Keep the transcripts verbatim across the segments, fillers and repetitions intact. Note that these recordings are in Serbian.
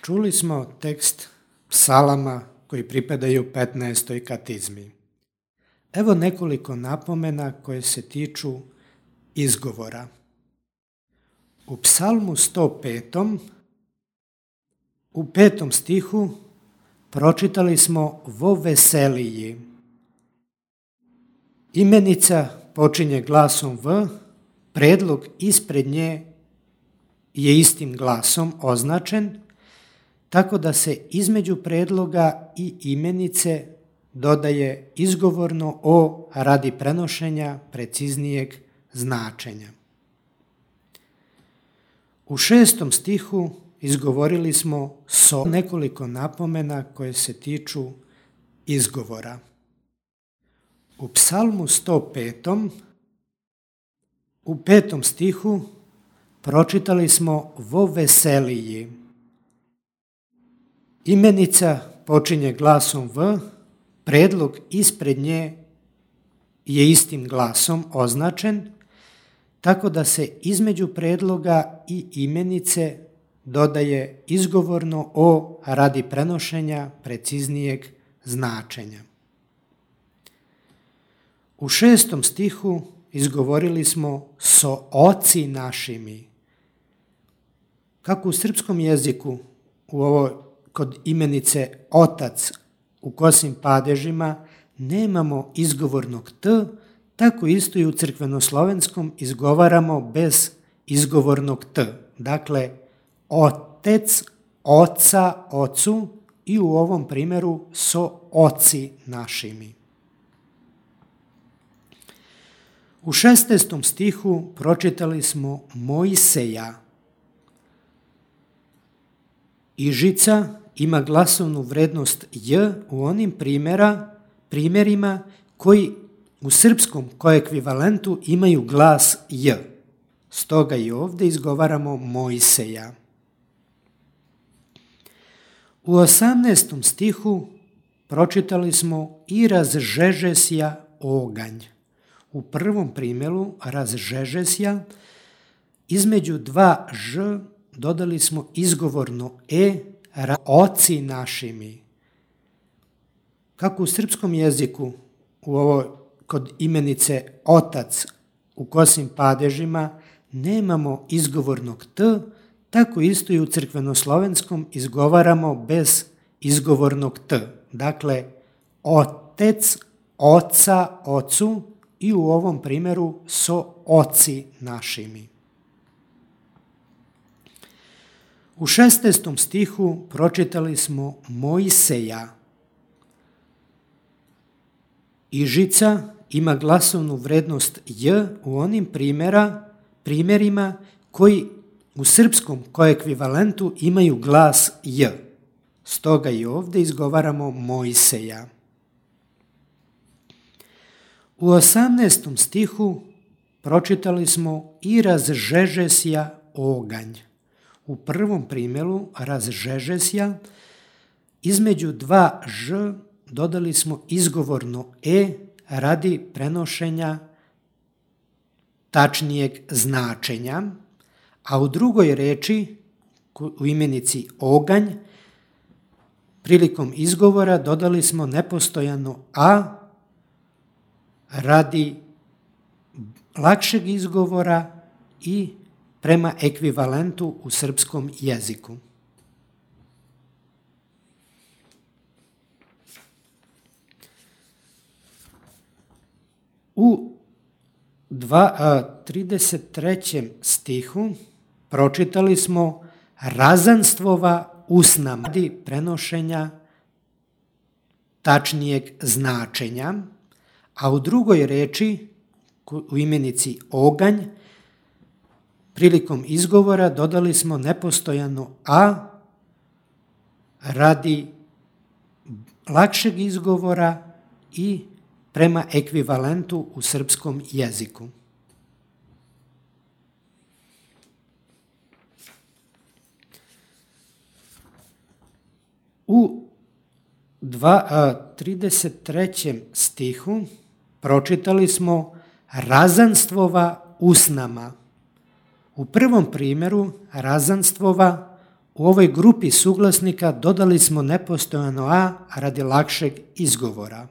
Čuli smo tekst psalama koji pripadaju petnaestoj katizmi. Evo nekoliko napomena koje se tiču izgovora. U psalmu sto petom u petom stihu pročitali smo vo veseliji. Imenica počinje glasom v, predlog ispred nje je istim glasom označen, tako da se između predloga i imenice dodaje izgovorno o radi prenošenja preciznijeg značenja. U šestom stihu izgovorili smo so nekoliko napomena koje se tiču izgovora. U psalmu sto petom u petom stihu pročitali smo vo veseliji. Imenica počinje glasom v, predlog ispred nje je istim glasom označen, tako da se između predloga i imenice dodaje izgovorno o radi prenošenja preciznijeg značenja. U šestom stihu izgovorili smo so oci našimi. Kako u srpskom jeziku u ovoj kod imenice otac u kosim padežima nemamo izgovornog t, tako isto i u crkvenoslovenskom izgovaramo bez izgovornog t. Dakle, otec, oca, ocu i u ovom primjeru so oci našimi. U šesnaestom stihu pročitali smo Mojseja. Ižica ima glasovnu vrednost j u onim primjera, primjerima koji u srpskom koekvivalentu imaju glas j. Stoga i ovdje izgovaramo Mojseja. U osamnaestom stihu pročitali smo i razžežesja oganj. U prvom primjeru razžežesja između dva ž dodali smo izgovorno e, oci našimi. Kako u srpskom jeziku u ovoj kod imenice otac u kosim padežima nemamo izgovornog t, tako isto i u crkvenoslovenskom izgovaramo bez izgovornog t. Dakle, otec, oca, ocu i u ovom primjeru so oci našimi. U šesnaestom stihu pročitali smo Mojseja. Ižica ima glasovnu vrednost j u onim primjera, primjerima koji u srpskom koekvivalentu imaju glas j. Stoga i ovdje izgovaramo Mojseja. U osamnaestom stihu pročitali smo i razžežesja oganj. U prvom primjeru razžežesja između dva ž dodali smo izgovorno e radi prenošenja tačnijeg značenja, a u drugoj reči u imenici oganj prilikom izgovora dodali smo nepostojano a radi lakšeg izgovora i prema ekvivalentu u srpskom jeziku. U trideset trećem stihu pročitali smo razanstvova usnama radi prenošenja tačnijeg značenja, a u drugoj reči u imenici oganj prilikom izgovora dodali smo nepostojano a radi lakšeg izgovora i prema ekvivalentu u srpskom jeziku. U trideset trećem stihu pročitali smo razanstvova usnama. U prvom primjeru razanstvova u ovoj grupi suglasnika dodali smo nepostojano a radi lakšeg izgovora.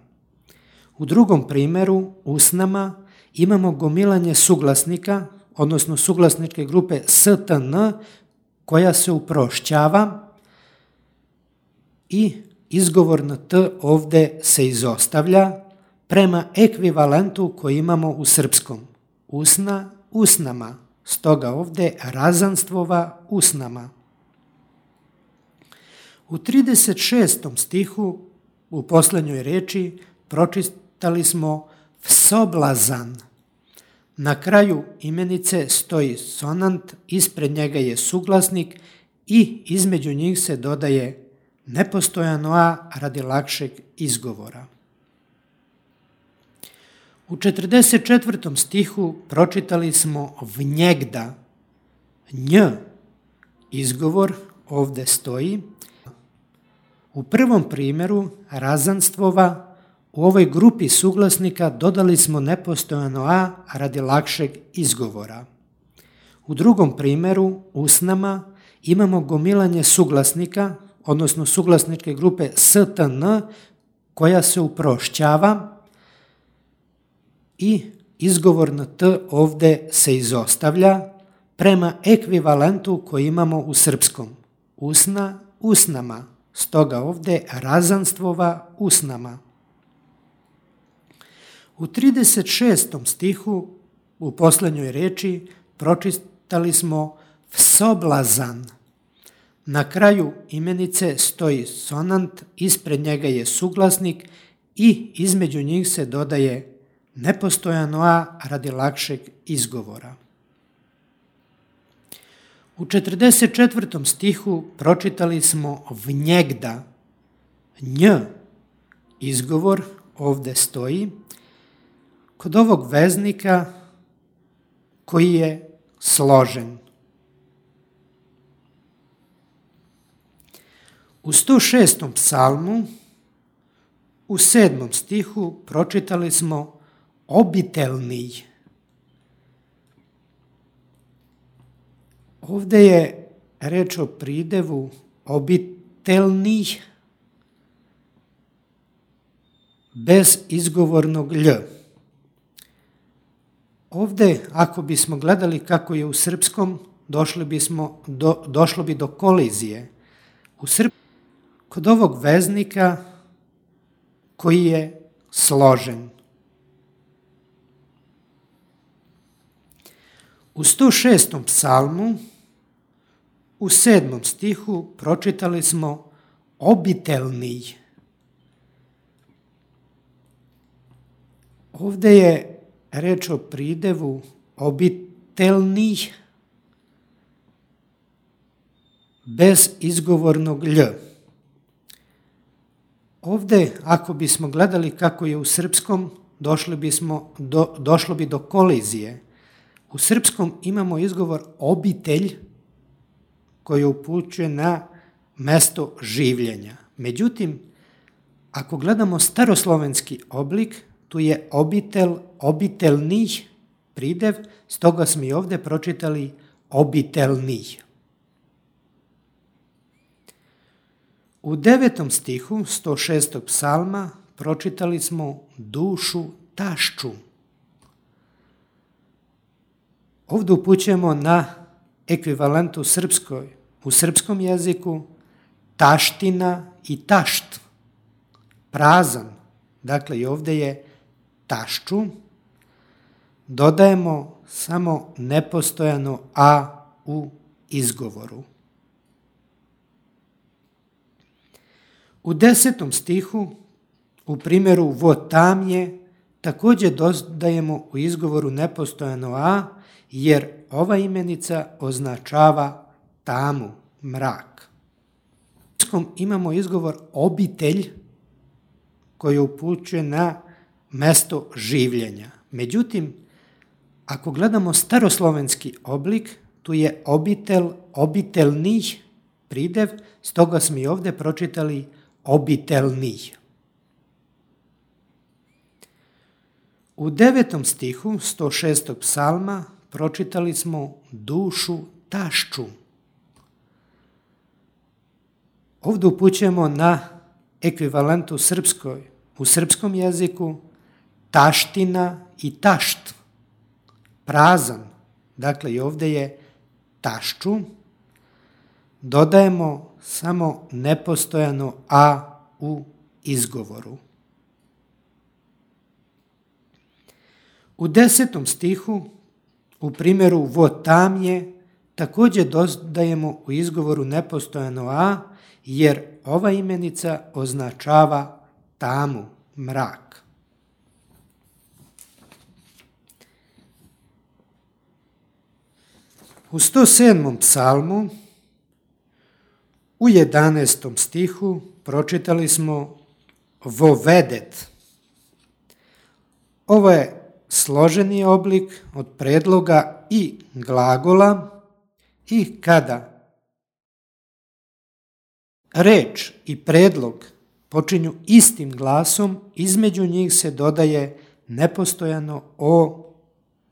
U drugom primjeru, usnama, imamo gomilanje suglasnika, odnosno suglasničke grupe stn, koja se uprošćava i izgovorno t ovdje se izostavlja prema ekvivalentu koji imamo u srpskom. Usna, usnama. Stoga ovdje razanstvova usnama. U trideset šestom stihu u posljednjoj reči pročitali smo vsoblazan. Na kraju imenice stoji sonant, ispred njega je suglasnik i između njih se dodaje nepostojano a radi lakšeg izgovora. U četrdeset četvrtom stihu pročitali smo vnjegda. Nj, izgovor ovdje stoji. U prvom primjeru razanstvova u ovoj grupi suglasnika dodali smo nepostojano a radi lakšeg izgovora. U drugom primjeru, usnama, imamo gomilanje suglasnika, odnosno suglasničke grupe stn, koja se uprošćava i izgovorno t ovdje se izostavlja prema ekvivalentu koji imamo u srpskom. Usna, usnama. Stoga ovdje razanstvova usnama. U trideset šestom stihu u posljednjoj reči pročitali smo vsoblazan. Na kraju imenice stoji sonant, ispred njega je suglasnik i između njih se dodaje nepostojano a radi lakšeg izgovora. U četrdeset četvrtom stihu pročitali smo vnjegda. Nj, izgovor ovdje stoji. Kod ovog veznika koji je složen. U sto šestom psalmu u sedmom stihu pročitali smo obitelni. Ovdje je reč o pridevu obitelni bez izgovornog lj. Ovdje, ako bismo gledali kako je u srpskom, došli bismo do, došlo bi do kolizije. U srp... Kod ovog veznika koji je složen. U sto šestom psalmu u sedmom stihu pročitali smo obitelni. Ovdje je reč o pridevu obitelni bez izgovornog lj. Ovdje, ako bismo gledali kako je u srpskom, došli bismo do, došlo bi do kolizije. U srpskom imamo izgovor obitelj koji upućuje na mesto življenja. Međutim, ako gledamo staroslovenski oblik, tu je obitel, obitelni pridev, stoga smo i ovdje pročitali obitelni. U devetom stihu sto šestog psalma pročitali smo dušu tašču. Ovdje upućujemo na ekvivalent u srpskoj, u srpskom jeziku taština i tašt, prazan. Dakle, i ovdje je tašču. Dodajemo samo nepostojano a u izgovoru. U desetom stihu, u primjeru votamje, također dodajemo u izgovoru nepostojano a, jer ova imenica označava tamu, mrak. U srpskom imamo izgovor obitelj koji upućuje na mesto življenja. Međutim, ako gledamo staroslovenski oblik, tu je obitel, obitelni pridev, stoga smo i ovdje pročitali obitelni. U devetom stihu sto šestog psalma pročitali smo dušu tašču. Ovdje upućujemo na ekvivalent u, srpskoj, u srpskom jeziku taština i tašt, prazan. Dakle, i ovdje je tašču. Dodajemo samo nepostojano a u izgovoru. U desetom stihu, u primjeru votamje, također dodajemo u izgovoru nepostojano a, jer ova imenica označava tamu, mrak. U sto sedmom psalmu, u jedanaestom stihu, pročitali smo vovedet. Ovo je složeni oblik od predloga i glagola i kada reč i predlog počinju istim glasom, između njih se dodaje nepostojano o,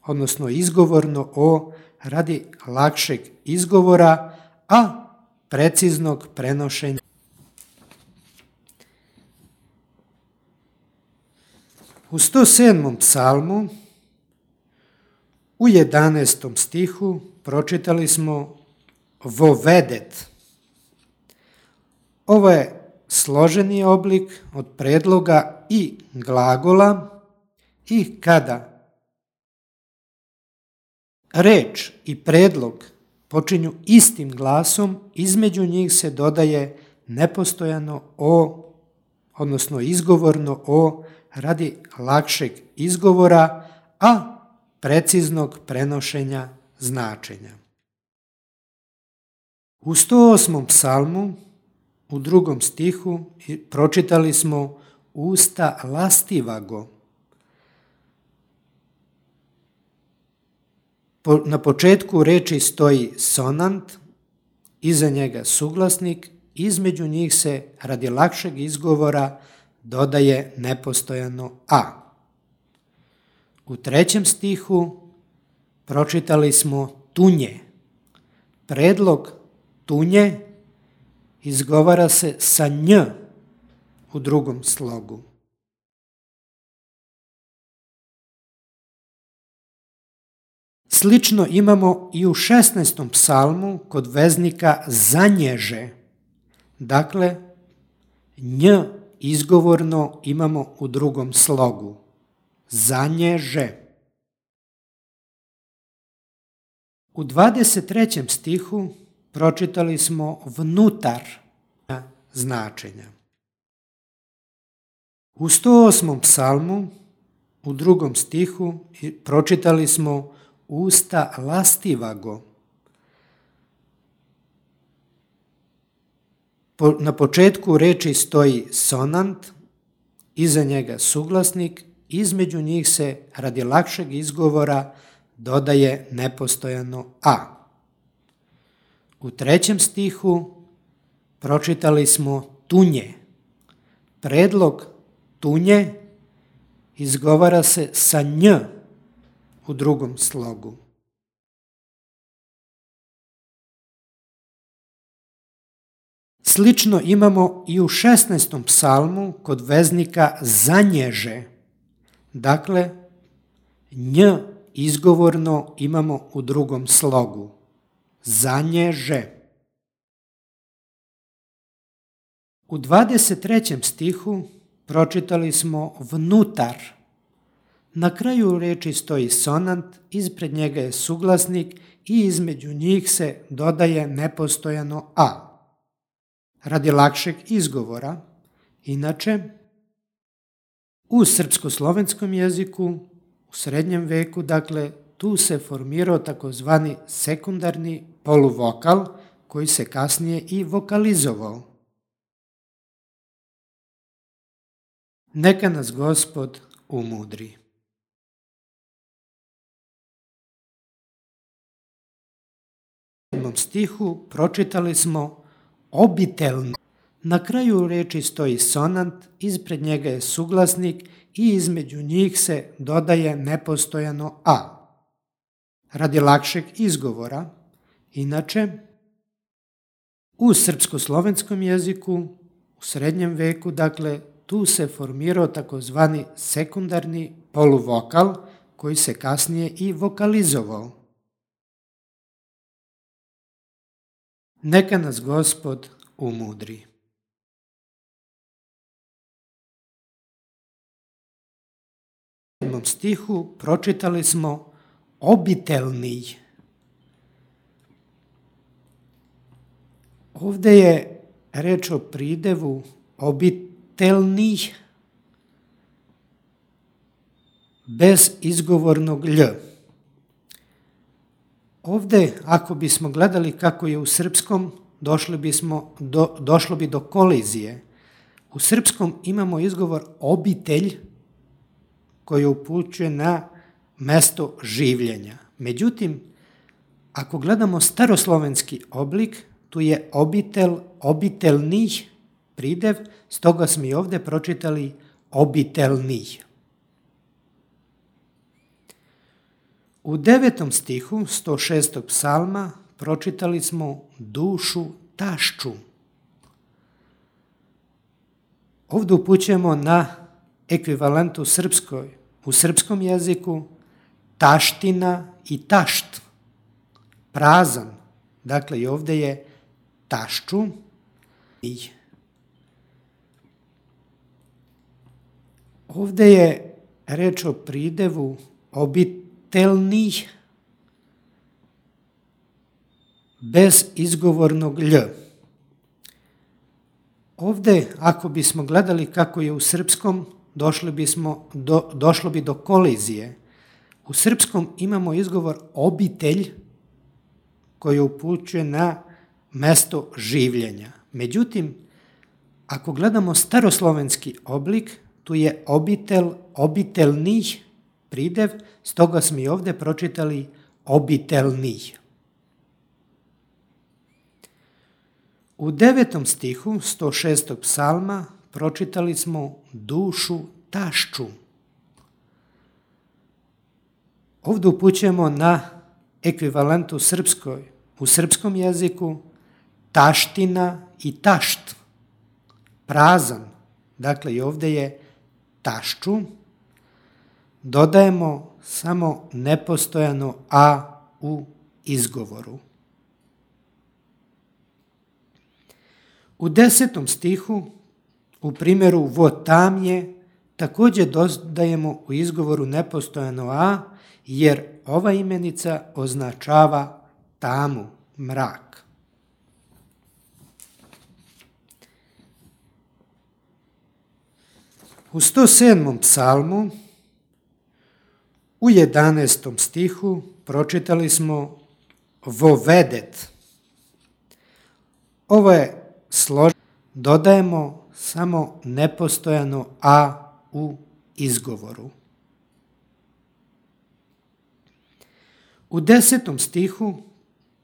odnosno izgovorno o, radi lakšeg izgovora, a preciznog prenošenja. U sto sedmom psalmu, u jedanaestom stihu, pročitali smo vovedet. Ovo je složeni oblik od predloga i glagola i kada reč i predlog počinju istim glasom, između njih se dodaje nepostojano o, odnosno izgovorno o, radi lakšeg izgovora, a preciznog prenošenja značenja. U sto osmom psalmu, u drugom stihu, pročitali smo usta lastivago. Na početku reči stoji sonant, iza njega suglasnik, između njih se radi lakšeg izgovora dodaje nepostojano a. U trećem stihu pročitali smo tunje. Predlog tunje izgovara se sa nj u drugom slogu. Slično imamo i u šesnaestom psalmu kod veznika zanježe. Dakle, nj izgovorno imamo u drugom slogu. Zanježe. U dvadeset trećem stihu pročitali smo vnutar značenja. U sto osmom psalmu, u drugom stihu, pročitali smo usta lastivago. Na početku reči stoji sonant, iza njega suglasnik, između njih se radi lakšeg izgovora dodaje nepostojano a. U trećem stihu pročitali smo tunje. Predlog tunje izgovara se sa nj u drugom slogu. Slično imamo i u šesnaestom psalmu kod veznika zanježe. Dakle, nj izgovorno imamo u drugom slogu. Zanježe. U dvadeset trećem stihu pročitali smo vnutar. Na kraju reči stoji sonant, ispred njega je suglasnik i između njih se dodaje nepostojano a. Radi lakšeg izgovora, inače, u srpsko-slovenskom jeziku, u srednjem veku, dakle, tu se formirao takozvani sekundarni poluvokal koji se kasnije i vokalizovao. Neka nas Gospod umudri. U sedmom stihu pročitali smo obiteljno. Na kraju reči stoji sonant, ispred njega je suglasnik i između njih se dodaje nepostojano a. Radi lakšeg izgovora, inače, U srpsko-slovenskom jeziku u srednjem veku, dakle, tu se formirao takozvani sekundarni poluvokal koji se kasnije i vokalizovao. Neka nas Gospod umudri. U sedmom stihu pročitali smo obitelni. Ovde je reč o pridevu obitelni bez izgovornog lj. Ovde, ako bismo gledali kako je u srpskom, došli bismo do, došlo bi do kolizije. U srpskom imamo izgovor obitelj koji upućuje na mesto življenja. Međutim, ako gledamo staroslovenski oblik, tu je obitel, obitelni pridev, stoga smo i ovde pročitali obitelni. U devetom stihu sto šestog psalma pročitali smo dušu tašču. Ovde upućujemo na ekvivalent u srpskoj, u srpskom jeziku taština i tašt, prazan. Dakle, i ovde je tašču. Ovde je reč o pridevu obitelni bez izgovornog lj. Ovde, ako bismo gledali kako je u srpskom, došli bismo do, došlo bi do kolizije. U srpskom imamo izgovor obitelj koji upućuje na mesto življenja. Međutim, ako gledamo staroslovenski oblik, tu je obitel, obitelni pridev, stoga smo i ovde pročitali obitelni. U devetom stihu sto šestog psalma pročitali smo dušu tašču. Ovde upućujemo na ekvivalent u srpskoj, u srpskom jeziku taština i tašt, prazan. Dakle, i ovde je tašču. Dodajemo samo nepostojano a u izgovoru. U desetom stihu, u primjeru votamje, također dodajemo u izgovoru nepostojano a, jer ova imenica označava tamu, mrak. U sto sedmom psalmu, u jedanaestom stihu, pročitali smo vovedet. Ovo je složeno, dodajemo samo nepostojano a u izgovoru. U desetom stihu,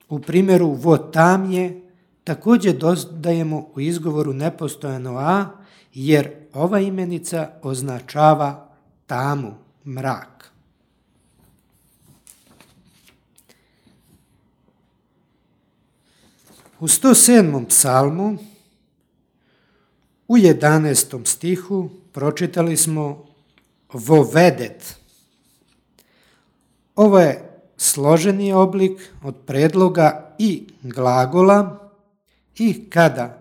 u primjeru votamje, također dodajemo u izgovoru nepostojano a, jer ova imenica označava tamu, mrak. U sto sedmom psalmu, u jedanaestom stihu, pročitali smo vovedet. Ovo je složeni oblik od predloga i glagola i kada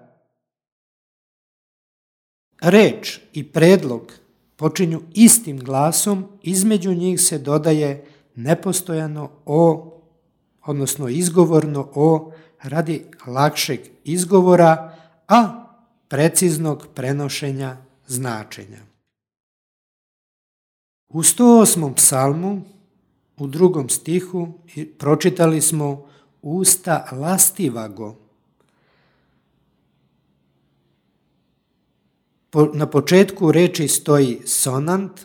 reč i predlog počinju istim glasom, između njih se dodaje nepostojano o, odnosno izgovorno o, radi lakšeg izgovora, a preciznog prenošenja značenja. U sto osmom psalmu, u drugom stihu, pročitali smo usta lastivago. Na početku reči stoji sonant,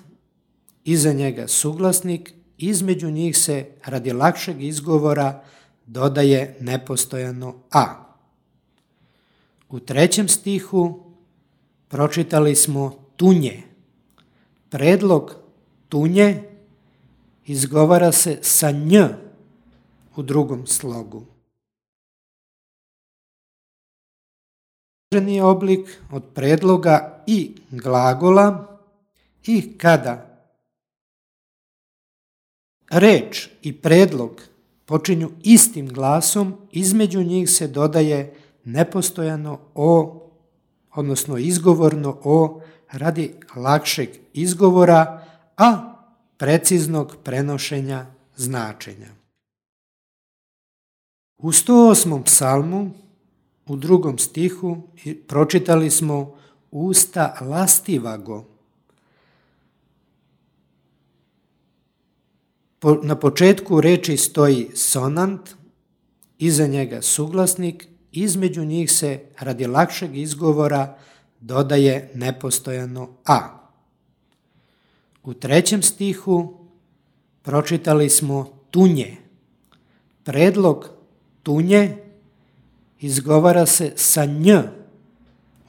iza njega suglasnik, između njih se radi lakšeg izgovora dodaje nepostojano a. U trećem stihu pročitali smo tunje. Predlog tunje izgovara se sa nj u drugom slogu. oblik od predloga i glagola i kada reč i predlog počinju istim glasom, između njih se dodaje nepostojano o, odnosno izgovorno o, radi lakšeg izgovora, a preciznog prenošenja značenja. U sto osmom psalmu, u drugom stihu, pročitali smo usta lastivago. Na početku reči stoji sonant, iza njega suglasnik, između njih se radi lakšeg izgovora dodaje nepostojano a. U trećem stihu pročitali smo tunje. Predlog tunje izgovara se sa nj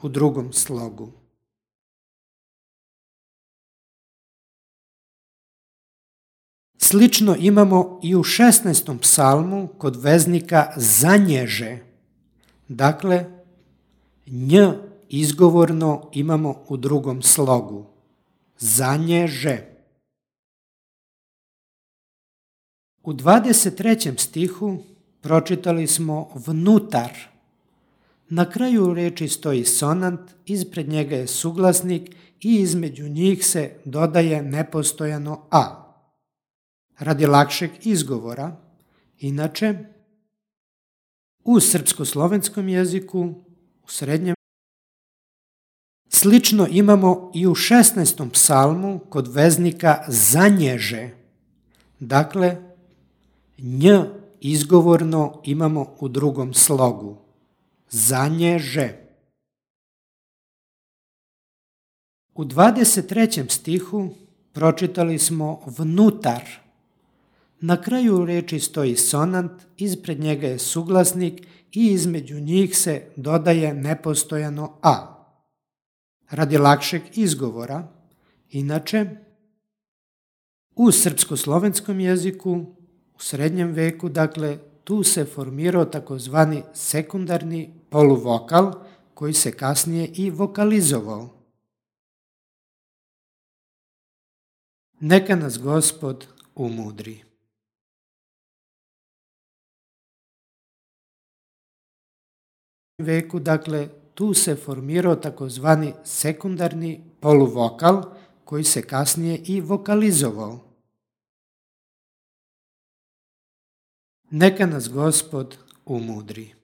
u drugom slogu. Slično imamo i u šesnaestom psalmu kod veznika zanježe. Dakle, nj izgovorno imamo u drugom slogu. Zanježe. U dvadeset trećem stihu pročitali smo vnutar. Na kraju reči stoji sonant, ispred njega je suglasnik i između njih se dodaje nepostojano a. Radi lakšeg izgovora, inače, u srpsko-slovenskom jeziku, u srednjem, slično imamo i u šesnaestom psalmu kod veznika zanježe. Dakle, nj izgovorno imamo u drugom slogu. Zanježe. U dvadeset trećem stihu pročitali smo vnutar. Na kraju reči stoji sonant, ispred njega je suglasnik i između njih se dodaje nepostojano a. Radi lakšeg izgovora, inače, u srpsko-slovenskom jeziku, u srednjem veku, dakle, tu se formirao takozvani sekundarni poluvokal koji se kasnije i vokalizovao. Neka nas Gospod umudri. Veku, dakle, tu se formirao takozvani sekundarni poluvokal koji se kasnije i vokalizovao. Neka nas Gospod umudri.